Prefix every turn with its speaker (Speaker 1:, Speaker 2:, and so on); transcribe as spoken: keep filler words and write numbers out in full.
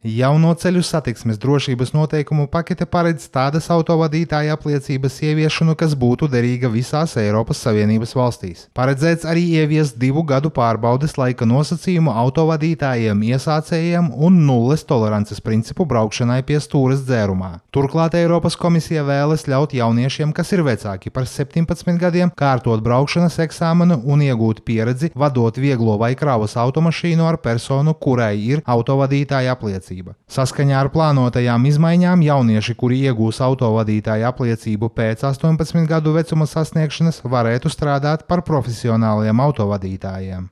Speaker 1: Jauno ceļu satiksmes drošības noteikumu pakete paredz tādas autovadītāja apliecības ieviešanu, kas būtu derīga visās Eiropas Savienības valstīs. Paredzēts arī ieviest divu gadu pārbaudes laika nosacījumu autovadītājiem iesācējiem un nulles tolerances principu braukšanai pie stūres dzērumā. Turklāt Eiropas komisija vēlas ļaut jauniešiem, kas ir vecāki par septiņpadsmit gadiem, kārtot braukšanas eksāmenu un iegūt pieredzi, vadot vieglo vai kravas automašīnu ar personu, kurai ir autovadītāja apliecība. Saskaņā ar plānotajām izmaiņām jaunieši, kuri iegūs autovadītāja apliecību pēc astoņpadsmit gadu vecuma sasniegšanas, varētu strādāt par profesionāliem autovadītājiem.